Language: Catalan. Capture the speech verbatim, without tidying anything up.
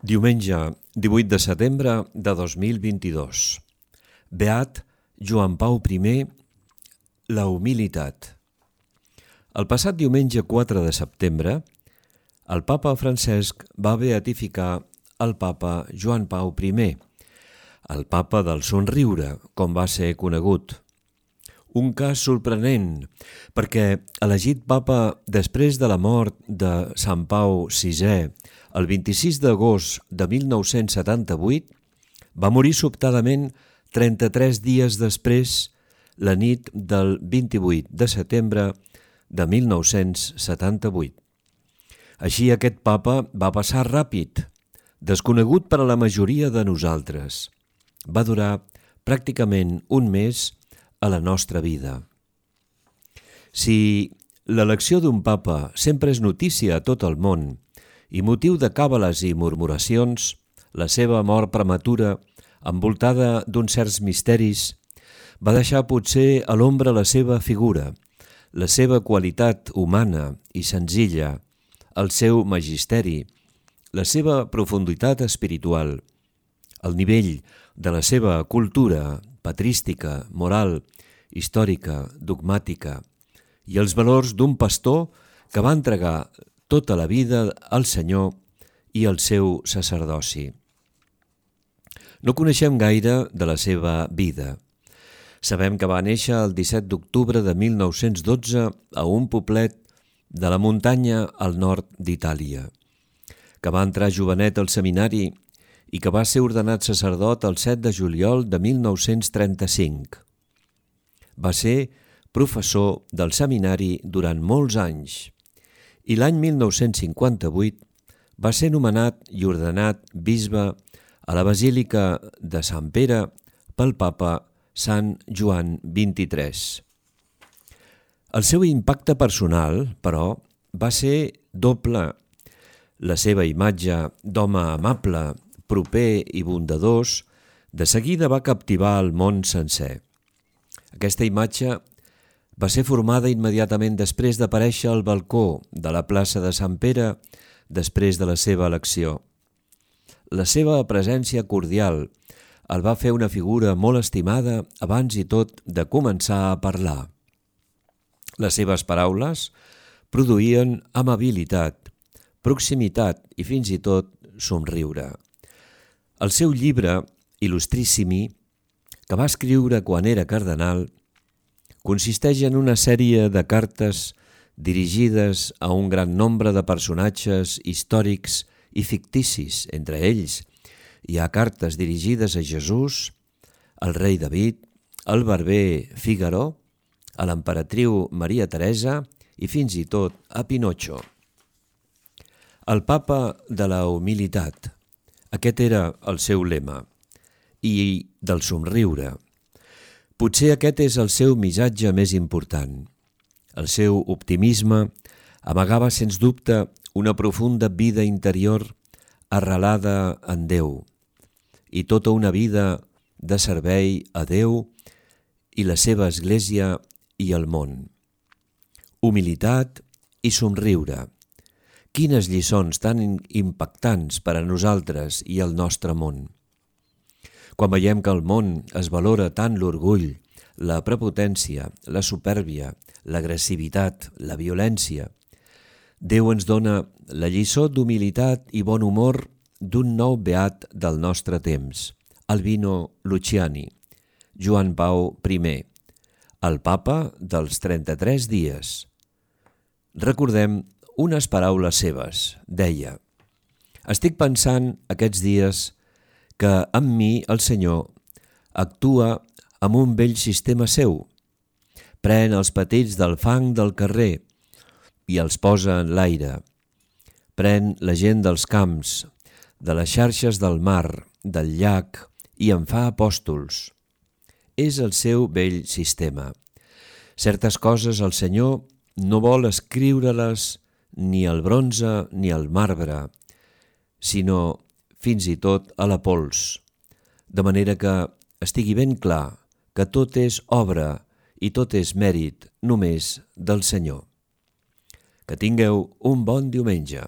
Diumenge, divuit de setembre de dos mil vint-i-dos. Beat Joan Pau primer, la humilitat. El passat diumenge quatre de setembre, el papa Francesc va beatificar el papa Joan Pau primer, el papa del somriure, com va ser conegut. Un cas sorprenent, perquè elegit papa després de la mort de Sant Pau sisè, el vint-i-sis d'agost de mil nou-cents setanta-vuit, va morir sobtadament trenta-tres dies després, la nit del vint-i-vuit de setembre de mil nou-cents setanta-vuit. Així aquest papa va passar ràpid, desconegut per a la majoria de nosaltres. Va durar pràcticament un mes a la nostra vida. Si l'elecció d'un papa sempre és notícia a tot el món i motiu de càbales i murmuracions, la seva mort prematura, envoltada d'uns certs misteris, va deixar potser a l'ombra la seva figura, la seva qualitat humana i senzilla, el seu magisteri, la seva profunditat espiritual, el nivell de la seva cultura patrística, moral, històrica, dogmàtica i els valors d'un pastor que va entregar tota la vida al Senyor i al seu sacerdoci. No coneixem gaire de la seva vida. Sabem que va néixer el disset d'octubre de mil nou-cents dotze a un poblet de la muntanya al nord d'Itàlia, que va entrar jovenet al seminari i que va ser ordenat sacerdot el set de juliol de mil nou-cents trenta-cinc. Va ser professor del seminari durant molts anys i l'any mil nou-cents cinquanta-vuit va ser nomenat i ordenat bisbe a la Basílica de Sant Pere pel papa Sant Joan vint-i-tres. El seu impacte personal, però, va ser doble. La seva imatge d'home amable, proper i bondadós, de seguida va captivar el món sencer. Aquesta imatge va ser formada immediatament després d'aparèixer al balcó de la plaça de Sant Pere després de la seva elecció. La seva presència cordial el va fer una figura molt estimada abans i tot de començar a parlar. Les seves paraules produïen amabilitat, proximitat i fins i tot somriure. El seu llibre, Il·lustrissimi, que va escriure quan era cardenal, consisteix en una sèrie de cartes dirigides a un gran nombre de personatges històrics i ficticis. Entre ells hi ha cartes dirigides a Jesús, al rei David, al barber Fígaro, a l'emperatriu Maria Teresa i fins i tot a Pinotxo. El papa de la humilitat, aquest era el seu lema, i del somriure. Potser aquest és el seu missatge més important. El seu optimisme amagava sens dubte una profunda vida interior arrelada en Déu i tota una vida de servei a Déu i la seva Església i el món. Humilitat i somriure. Quines lliçons tan impactants per a nosaltres i el nostre món. Quan veiem que al món es valora tant l'orgull, la prepotència, la supèrbia, l'agressivitat, la violència, Déu ens dona la lliçó d'humilitat i bon humor d'un nou beat del nostre temps, Albino Luciani, Joan Pau primer, el papa dels trenta-tres dies. Recordem unes paraules seves. Deia: «Estic pensant aquests dies que amb mi el Senyor actua amb un vell sistema seu. Pren els petits del fang del carrer i els posa en l'aire. Pren la gent dels camps, de les xarxes del mar, del llac, i en fa apòstols. És el seu vell sistema. Certes coses el Senyor no vol escriure-les ni al bronze ni al marbre, sinó fins i tot a la pols, de manera que estigui ben clar que tot és obra i tot és mèrit només del Senyor». Que tingueu un bon diumenge.